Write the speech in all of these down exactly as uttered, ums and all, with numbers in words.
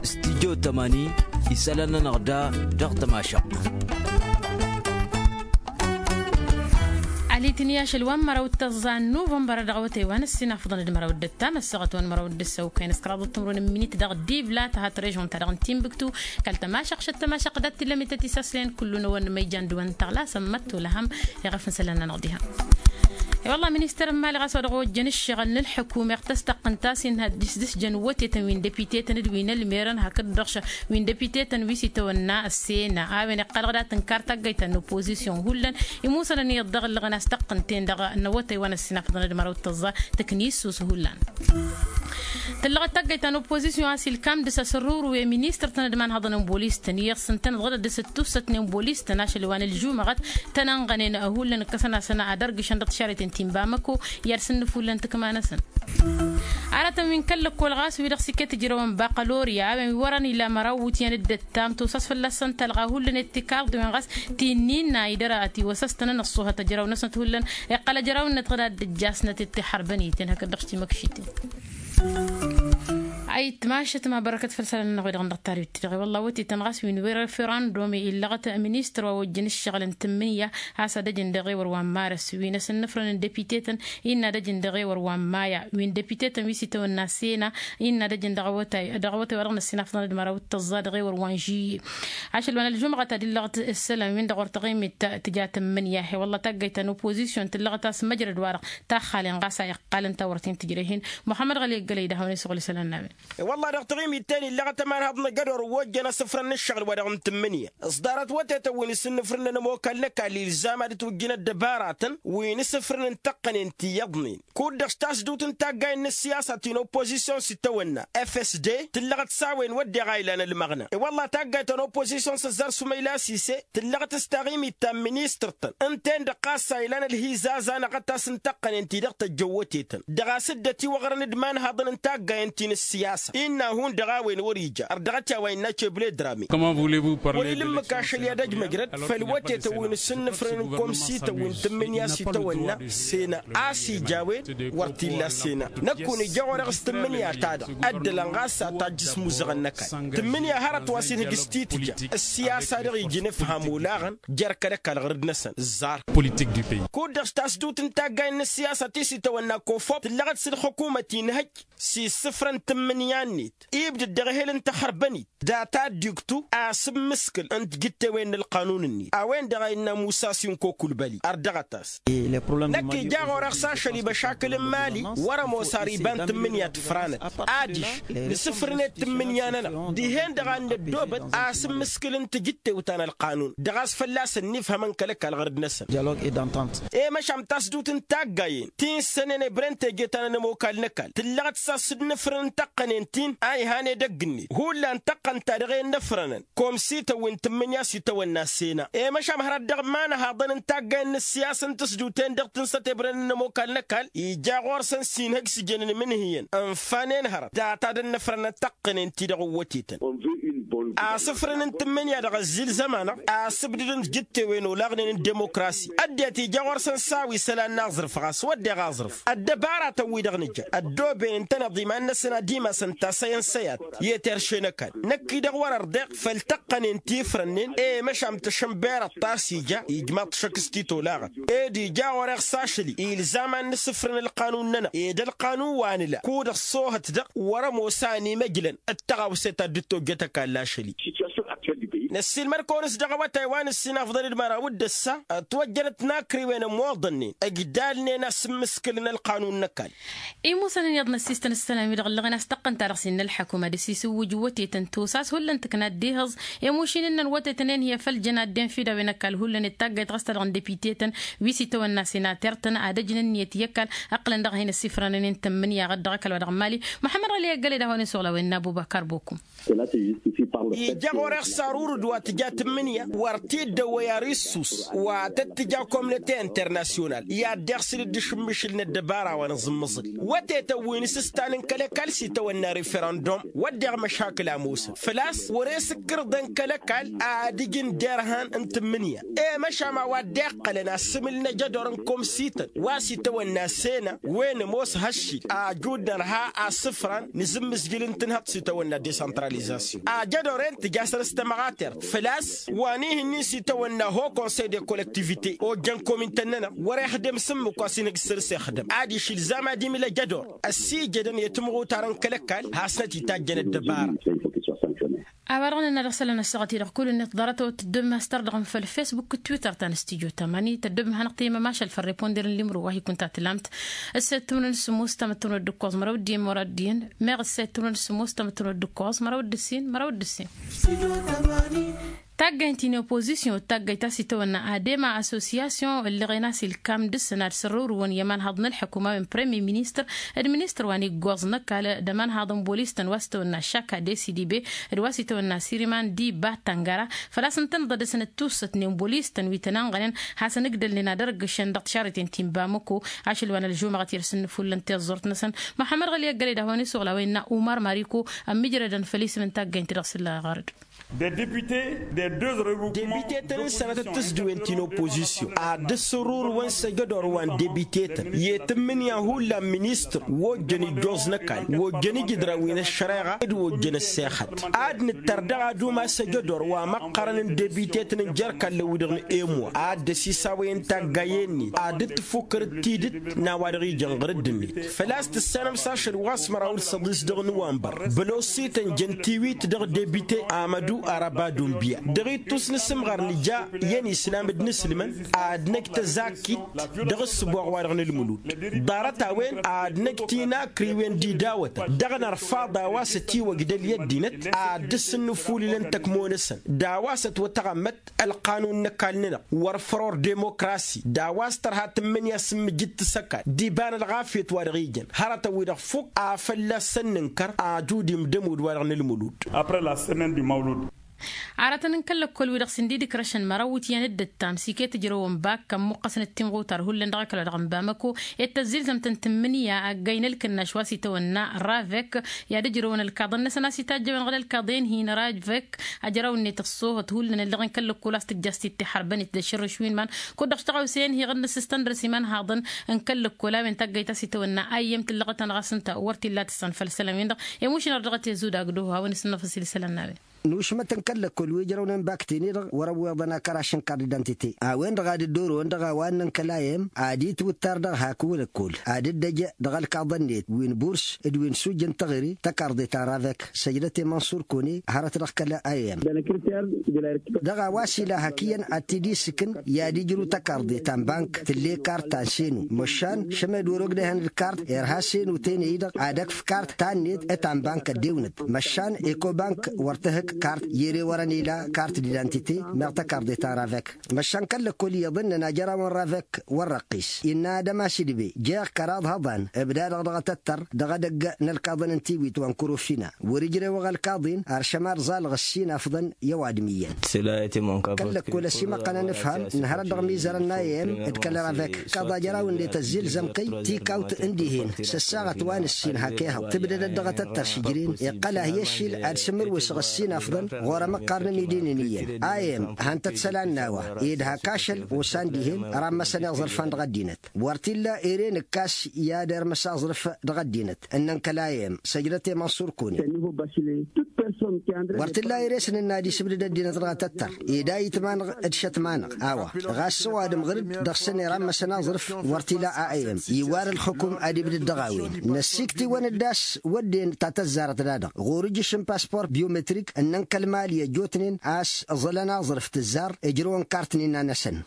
Stidyo tămani isălan-nănăɣ da dăɣ-tămašăɣt. Alitni ašăl wa n-măraw d-tăẓẓa n-nuvănbăr dăɣ-awătay wa n-ăssinafḍăn d-măraw d-ăttam ăssaɣăt wa n-măraw d-ăssăw kăyăn s-kăraḍăt timrun n-minit dăɣ-dibla tăhat režon-ta-dăɣ n-timbuktu. Kăl-tămašăɣt šăt tămašăɣt dat-t-illa mităt isaslăyăn kullu n-ewăn n-imăyjan d-ewăn n-taɣla a-s ămmăt olăhăm. Iɣăf n-isălan-nănăɣ diha. I-wălla ministăr n-imali ɣas wa dăɣ-ojjăn ǝššăɣǝl n-ǝlḥǝkum iɣtăs taqqǝnt a-s innă ad-dd-isdǝsjăn iwătetăn wi n-depite-tăn d-wi n-ălmerăn hakd-dăɣ wi n-depite-tăn wi s-itawănna ăssena a-wen iqqălăɣ dat-tǝnkar taggăyt ta n-oppozisyon hullan. Imusănăn iyyăḍ dăɣ-ǝllăɣăn a-s taqqǝnt-en-dăɣ n-awătay wa n-ăssinafăḍăn d-măraw d-tăẓẓa tǝkni issus hullan. Tǝllăɣăt taggăyt ta n-oppozisyon a-s ilkam dăr-s asărruru i-ministăr-tăn d-imanhăḍăn n-bolis-tăn iyyăḍ s-ǝntăneḍ ɣǝdăt dăr-s ǝttussătnen bolis-tăn ašăl wa n-ălžumăɣăt tănănɣănen hullan ǝkkăsăn-asăn ad-ărgǝšăn dăɣ-tišarreten ti n-bamăko. I-ad-sǝnnǝf hullan tǝkma-năsăn. Aratăn wi n-kăl-lăkkol ɣas wi-dăɣ s-iket ǝjrăwăn baqălorya a-wen wi wărăn ila măraw iwǝtyan d-ăttam tosas fălla-săn talɣa hullan i-tikarḍiwen ɣas ti n-innă idăr a ătiwăsăstănăn ăṣṣuhăt ăjraw-năsnăt hullan. Iqqăl ăjraw-năt ɣǝd ad-dd-ǝjjasnăt i-tiḥărbăn iten hakd-dăɣ s-timăkšiten. Ayǝtmašăt mabărăkăt făll-isălan-nănăɣ wi-dăɣ n-dăɣ-tarwit-ti-dăɣ i-wălla wătetăn ɣas wi n-wăr-ăfirandum illăɣăt ministăr wa ojjăn ǝššăɣǝl n-tǝmmǝnǝya. A-s ad-ăjǝn dăɣ-ewăr wa n-marăs wi n-asǝnnǝfrăn n-depite-tăn innă ad-ăjǝn dăɣ-ewăr wa n-maya wi n-depite-tăn wi s-itawănna sena. Innă ad-ăjǝn dăɣ-awătay dăɣ-awătay wa dăɣ-năssinafăḍăn d-măraw d-tăẓẓa dăɣ-ewăr wa n-žiyye. Ašăl wa n-ălžumɣăt ad-illăɣăt ǝssălan-win-dăɣ wăr tăɣimit tǝja tǝmmǝnǝya he-wălla taggăyt ta n-oppozisyon tǝllăɣăt a-s măjrăd-wa-dăɣ taxxalen ɣas a iqqal ǝnta wăr t-in-tǝjrăh-in. Muḥămmăd ɣăli ăggălăy d-ad-hawăn-isăɣul isălan n-a-wen. E-wălla-hi dăɣ-taɣimit ta-en illăɣăt ămanhăḍ n-agad orăwwojjăn asǝfrăn n-ǝššăɣǝl wa dăɣ-n tǝmmǝnǝya s-ḍarăt wătetăn wi n-asǝnnǝfrǝnăn ămokal n-ăkall ilzam ad-ǝtwǝjjǝn ăddăbaratăn wi n-asǝfrǝn n-taqqănen ti iyyăḍnen kud-dăɣ s-tasdut n-taggayt n-ăssiyasa ti n-oppozisyon s-itawănna fsd tǝllăɣăt s-a-wen wădden a ilan ălmăɣna. E-wălla-hi taggayt ta n-oppozisyon s-ăzzar sumăyla sise tǝllăɣăt s-taɣimit ta n-ministăr-tăn ǝnta-en-dăɣ ɣas a ilan ălhizaz anăɣăt a-s n-taqqănen-ti-dăɣ tăjjăw wătetăn dăɣ-a-s dd-ătiwăɣrăn d-imanhaḍăn n-taggayăn ti n-ăssiyasa. Innă a hundăɣ a-wen wăr-ija ărdăɣăt i-a-wa innă cebledrame. Wăr-ila ǝmmǝk ašăl i-ad-ăj măjrăd făll-wătetăn wi n-asǝnnǝfrăn n-komsităn wi n-tǝmmǝnǝya s-itawănna sena a-s ija a-wen wăr t-illa sena. Năkk-un ija ɣur-e s-tǝmmǝnǝya-ta-dăɣ ăddălăn ɣas a tajjǝs muzăɣăn n-ăkall tǝmmǝnǝya hărăt wa s-inhǝj s-titǝja ăssiyasa-dăɣ ija inǝfham olaɣăn jer-kăl-ăkall ɣur-dd-năsăn ǝzzar. Kud-dăɣ s-tasdut n-taggayt n-ăssiyasa ti s-itawănna kofop tǝllăɣăt s-ǝlxǝkumăt inhăj s-isǝfrăn tǝmmǝnǝya-net ibdăd dăɣ-ehel n-taxărbănit data dd-iktu asǝmmǝskǝl n-tijǝttewen n-ălqanun-net a-wen-dăɣ a innă musa sinko kulbăli ărdăɣăt-as. Năkk ija ɣur-e s-ašăl i-băšakǝl n-imali wăr-ămoos ar iba n-tǝmmǝnǝya tǝfranăt adiš nǝsǝfrǝnet tǝmmǝnǝya-nănăɣ dihen-dăɣ a n-năddoobăt asǝmmǝskǝl n-tijǝttew ta n-ălqanun dăɣ-a-s fălla-săn nifhămăn kăl-ăkall ɣur-dd-năsăn. E-măšan tasdut n-taggayen ti n-sănen ebren teje ta n-ănămokal n-ăkall tǝllăɣăt s-asǝnnǝfrǝn n-taqqănen-tin a ihan edăgg-net hullan taqqăn-ta-dăɣ ennăfrănăn komsităn wi n-tǝmmǝnǝya s-itawănna sena. E-măšan hărăt dăɣ-imanăhaḍăn n-taggayăn n-ăssiyas n-tǝsduten dăɣ-tǝnsăt ebren n-ănămokal n-ăkall ija ɣur-săn s-inhăj s-ijăn n-imǝnhǝyăn ǝnfanen hărăt data d-ănnăfrănăn taqqănen-ti-dăɣ ǝwwătetăn. Asǝfrǝn n-tǝmmǝnǝya dăɣ-ăzzilzăm-anăɣ asǝbdǝd n-tijǝttewen olaɣnen n-demokrasi ăddinăt ija ɣur-săn s-a-wa isălan n-aẓrǝf ɣas wădden aẓrǝf ăddăbaratăn-wi-dăɣ nǝja ăddooben ǝntăneḍ iman-năsăn ad-imasăn tasăyăn săyat i-terše n-ăkall. Năkk-i-dăɣ wăr-ărḍeɣ făll-taqqănen ti ifrănnen i-măšan tăšănberăḍ ta s-ija ijmaḍ-t šăkk s-titolaɣăt ed ija ɣur-e s-ašăl-i ilzam ad-nǝsǝfrǝn ălqanun-nănăɣ ed ălqanun wa nǝla kud-ăṣṣoohăt dăɣ-wăr-ămoos a ănimăjlăn d-tăɣawse ta dd-tojjăt ăkall ašăl-i. Năssiilmăd-kăwăn-s dăɣ-awătay wa n-ǝssinafḍăn d-măraw d-ǝssa ătwăjjănăt tinakriwen ămoḍănnen ǝjdalnen asǝmmǝskǝl n-ălqanun n-ăkall. Imusăn ǝnniḍ n-ăssistăn ǝssălan-wi-dăɣ ǝllăɣen a-s taqqăn-ta-dăɣ s-innă ălḥăkum ad-ăsisǝwwǝj wătetăn tosa a-s hullan tǝkna dd-ihǝẓ i-mušin-năn wătetăn enhǝyăf ăljan ad-dd-infǝd a-wen ăkall hullan i-taggayt ɣas ta dăɣ-n depite-tăn wi s-itawănna senater-tăn ad-ăjn ǝnniyăt i-ăkall. Ǝqqǝlăn dăɣ-hin-ăssifrănăn i-n-tǝmmǝnǝya ɣǝd dăɣ-ăkall wa dăɣ-n mali muḥămmăd ɣăli eggălăy d-ad-hawăn-isuɣǝl a-wen n-abubăkar bokum. Ija ɣur-e ăṣṣarurǝd wa tǝja tǝmmǝnǝya wăr t-dd-ăwwăy ar issus wa tăt-tǝja komnăte internasyonal i-ad-dd-iɣsǝl dd-išǝmmǝšǝl n-ăddăbara wa n-aẓǝmmǝẓǝl wătetăn wi n-asǝstan n-kăl-ăkall s-itawănna referăndum wădden măšakǝl a ămoosăn făl-a-s wăr-e s-ǝkkǝrǝḍăn kăl-ăkall ad-ǝjǝn derhan n-tǝmmǝnǝya. I-măšan a-wa dd-iqqălăn asǝmǝl n-ajădor n-komsităn wa s-itawănna sena wen ămoos haššil ajud nărha asǝfran n-azǝmmǝzjǝl n-tǝnhăḍt s-itawănna desantralizasyon ajădor-en tǝja săr-s tămăɣatert făl-a-s wa n-ihǝnnin s-itawănna ho konsey de kollektivite ojjăn komintăn-nănăɣ wăr-ixdǝm s-ǝmmǝk wa s-inhǝj săr-s ixdǝm ad-išǝlzam ad-imǝl ajădor ăssiijădăn i-timɣutar n-kăl-ăkall hasnăt-itajjăn ăddăbara. A-wa-dăɣ nǝnna dăɣ-isălan ăssaɣăt-i-dăɣ kull-net ḍarăt-awăt tǝddǝm mastăr dăɣ-n făll-fesbuk d-twitter ta n-studyo tămani tăddǝm hanăɣ-tăyăm ămašal făll-reponder n-limru wa hi-kunta tǝlamt. Ǝssay d-tǝmrǝn sǝmmus tamăttănot d-ǝkkoẓ mărăw d-immăra d-iyyăn meɣ ǝssay d-tǝmrǝn sǝmmus tamăttănot d-ǝkkoẓ mărăw d-ǝssin mărăw d-ǝssin. Taggayt-in i-opozisyon d-taggayt a-s itawănna adema asosiyasyon ǝllăɣen a-s ilkam dăɣ-săn ad-sărrǝwrǝwăn i-ămanhăḍ n-ǝlḥǝkum a-wen premier ministăr d-ministăr wa n-iggoẓ n-ăkall d-ămanhăḍ n-bolis-tăn wa s-tawănna šaka d-s d-ibe d-wa s-itawănna siriman d-iba tăngăra. Făl-a-s ǝntăneḍ ad-dăr-săn d-tussăt n-bolis-tăn wi tăn-ănɣănen hasăn-ǝgdălnen ad-ărgǝšăn dăɣ-tišarriten ti n-bamăko. Ašăl wa n-ălžumăɣăt i-dăr-s ǝnnǝfullăn tiẓẓurt-năsăn muḥămmăd ɣăli ăggăled a hawăn-isuɣǝl a-wa innă umar mariko ămmiijrădăn făll-isǝm n-taggaynt-i-dăɣ s-ǝlla ɣărăd. Debitetăn n-sănatăt tǝzduwen ti n-opozisyon ad-dd-sǝrrurǝwăn s-ejădor wa n-debitetăn i-tǝmmǝnǝya hullan ministăr wa ojjăn ijjoẓ n-ăkall wa ojjăn ijǝdran wi n-ăššăreɣa d-wa ojjăn ăssexăt. Ad-nǝttăr dăɣ-ad-umas ejădor wa măqqărăn n-debitetăn n-jer-kallăn wi-dăɣ n-emwa ad-dd-ăsisawăyăn taggayen-net ad-dd-tǝffukkărăt tidǝt n-a-wa dăɣ-ijăn ɣǝr-dd-net. Făl-a-s tǝssanăm s-ašăl wa s-măraw d-săḍis dăɣ-nuwănbăr bălosităn jăn tiwit dăɣ-debite amădu araba dunbiya dăɣ-ittus n-asǝmɣar nǝja i-ănislam d-inǝslǝmăn ad-năj tăzakkit dăɣ-ǝssǝboɣ-wa-dăɣ n-ǝlmǝlud. Ḍarăt-a-wen ad-năj tinakriwen d-idawătăn dăɣ-nărfaḍ a-wa s-ătiwăjdăl i-ăddinăt ad-dd-sǝnnǝfulǝlăn tăkmo-năsăn d-a-wa s-ătwătăɣămmăt ălqanun n-ăkall-nănăɣ wăr făror demokrasi d-a-wa s-tărha tǝmmǝnǝya s-ǝmmǝjǝd tǝsăkal d-iba n-ălɣafyăt wa dăɣ-ijăn hărătăn-wi-dăɣ fukk a fălla-săn nǝnkăr ajud imdămud wa dăɣ-nǝlmǝlud. Apre la semaine du mawlud. Aratăn n-kăl-lăkkol-wi-dăɣ s-ǝndidǝkrăšăn măraw iwǝtyan d-ǝttam s-iket ǝjrăwăn bak kămmuqqăsnăt timɣutar hullan dăɣ-ăkall wa dăɣ-n bamăko ed tăzzilzăm-t n-tǝmmǝnǝya ăggay n-ălkǝnnaš wa s-itawănna ravek i-ad-ǝjrăwăn ălkaḍăn-năsăn a-s itajjăwăn ɣǝd ălkaḍen-hin ravek. Ajraw-net ăṣṣoohăt hullan ǝllăɣen kăl-lăkkol a-s tǝjjăs tittiḥărbăn-it d-ašărrǝš wi n-iman kud-dăɣ štăɣawse-en hi-ɣǝnnǝs s-tăndrăs iman haḍăn n-kăl-lăkkol a-wen taggayt a-s itawănna ayyăm tǝllăɣăt-anăɣ a-s ǝnta wăr t-illa tǝssan făll-isălan-win-dăɣ. Emušăn ar dăɣ-t i-zudagdăho hawăn-isǝnnăfăs i-isălan n-a-wen. Nušmăt n-kăl-lăkkol wi ǝjrăwnen bak-ten-i-dăɣ wăr-ăwweḍăn akăraš n-kart d-identite a-wen-dăɣ ad-dd-orăwăn dăɣ-a-wa ǝnnăn kăl-a m ad-itwǝttar dăɣ-hak wăl-ăkkol ad-dd-ăj dăɣ-ălkaḍăn-net wi n-burs d-wi n-sujj n-teɣăre tăkarḍe ta n-ravek săjdăt i-mănṣur kăwăne hărăt dăɣ-kăl-a m. Dăɣ-a-wa s-ila hak iyyăn ad-t-dd isǝkǝn i-ad-ijrǝw tăkarḍe ta n-bank tǝll'-e kart ta n-senu măšan šămed wăr-ogdăyhăn d-kart irha senu tene-i-dăɣ ad-ăkf kart ta-net ta n-bank ăddewnăt măšan ekobank wăr tǝhǝk kart i-ere wărăn ila kart d-identite meɣ tăkarḍe ta n-ravek. Măšan kăl-lăkkol iyyăḍ ǝnnăn a jărawăn ravek wăr răqqis innă ad-ămasidbe jeɣ kăraḍ hăḍan ǝbdadăɣ dăɣ-atăttăr dăɣ-edăgg n-ălkaḍăn n-tiwit wa n-kărofina wăr-ǝjrewăɣ ălkaḍen ar šămad ẓalăɣ ǝssin afḍăn i-ăwadǝm iyyăn. Kăl-lăkkol ăsimăqqăn anǝfham n-hărăt dăɣ-imizărăn n-a m d-kăl-ravek kaḍa jăraw-net ăzzilzăm-kăy tikawt n-dihen s-ăssaɣăt wa n-ǝssin hak ehăḍ tǝbdădăt dăɣ-atăttăr šǝjren iqqăl-ah i-ăššil ad-sǝmmǝrwǝsăɣ ǝssin afḍăn ɣur-emăqqar n-amidin-in iyyăn a m han-tăt-isălan n-a-wa ed hak ašăl osan dihen rammăsăn iẓrǝfan dăɣ-ăddinăt. Wăr t-illa ere nǝkkas i-ad-irmǝs aẓrǝf dăɣ-ăddinăt ǝnnăn kăl-a m săjdăt i-mănṣur kăwănen. Wăr t-illa ere s-nǝnna ad-isǝbdǝd ăddinăt dăɣ-atăttăr ed a itma-năɣ d-šătma-năɣ a-wa ɣas s-ăwadǝm ɣǝr-dd dăɣ-săn irammăsăn aẓrǝf. Wăr t-ila a m iwwar ălxukum ad-ibdǝd dăɣ-a-wen năssikt'-iwăn-dd a-s wădden ta tăzzarăt-da-dăɣ ɣur-ǝjjǝšǝm pasport biometrik ǝnnăn kăl-mali ăjjootnen a-s ǝẓǝlăn aẓrǝf tǝzzar ǝjrǝwăn kart n-inna-năsăn.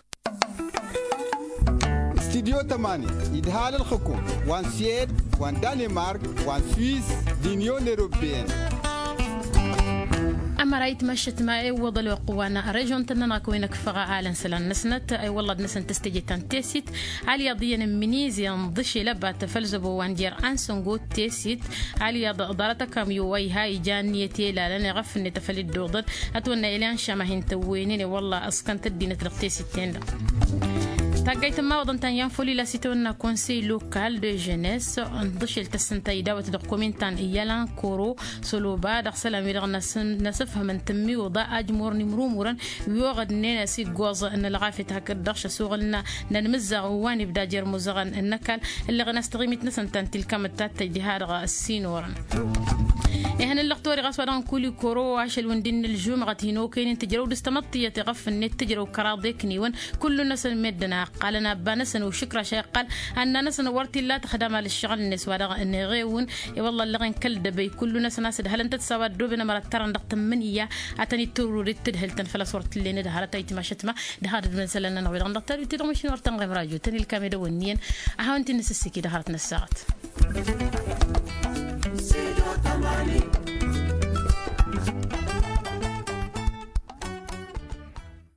Studyo tămani idhal ǝlxǝkum wa n-syed wa n-danimark wa n-swiss d-inyon europeyăn. Măra itmăššăt ma iwwăḍ ălwăqq wa n-režon-tăn-nănăɣ kăwăn-ăkfăɣ alăn isălan-năsnăt iwwălăḍ-năsăn tăstejăt ta n-tesit. Alyaḍ iyyăn n-minizi ǝnḍǝšel ăbat făll-zăbo wa n-jer-ansăngo tesit. Alyaḍ ḍarăt ăkamyo wa iha ija ǝnniyăt i-lalăn iɣăf-net făll-dd-oḍăn ătwănna ilyan šamahin tăwwenen iwwălla ǝskăn-t ăddinăt dăɣ-tesit-ten-dăɣ. Taggayt n-imawăḍăn ta n-yanfoli la s-itwănna konsey lokal de ženes ǝnḍǝšel tăssǝnta idawăt dăɣ-komin ta n-iyyălan koro săloba dăɣ-isălan-wi-dăɣ n-asǝfhămăn tǝmmiwǝḍa ajmur n-imrumurăn wi oɣădnen s-iggoẓ n-ălɣafyăt hakd-dăɣ šăsuɣǝl n-anmǝzzaɣ wa n-ibda jer-imuzăɣăn n-ăkall ǝlleɣen a-s taɣimit-năsăn ta n-tilkamăt ta t-tăjj diha-dăɣ ăssinorăn. Ihăn ǝllăɣ tori ɣas wa dăɣ-nǝkuli koro ašăl wi n-dd-innă ălžumɣăt hin-okăynen tǝjrăw dăɣ-s tamăḍt tiyyăt iɣăf-net tǝjrăw kăraḍ ikniwăn kullu-năsăn meddǝn a ǝqqalăn abba-năsăn ušǝkraš a iqqal anna-năsăn wăr t-illa tăxdam alǝššăɣǝl-net wa dăɣ-năɣewǝn. I-wălla ǝllăɣen kăl-dăbăy kullu-năsăn a-s ǝdhălăn-tăt s-a-wa ăddooben ămăra ǝttărăn dăɣ-tǝmmǝnǝya a tăn-ittǝrrur d-tǝdhǝl-tăn făl-a-s wăr t-tǝllen d-hărăt a itmašăt ma d-hărăt d-imǝnsălăn-nănăɣ wi-dăɣ n-dăɣ-tărwi-ti-dăɣ mašin wăr tăn-ɣem rajo tăn-ilkam edăwănni-en. A hawăn-t-in-nǝsǝssǝki d-hărăt n-ăssaɣăt.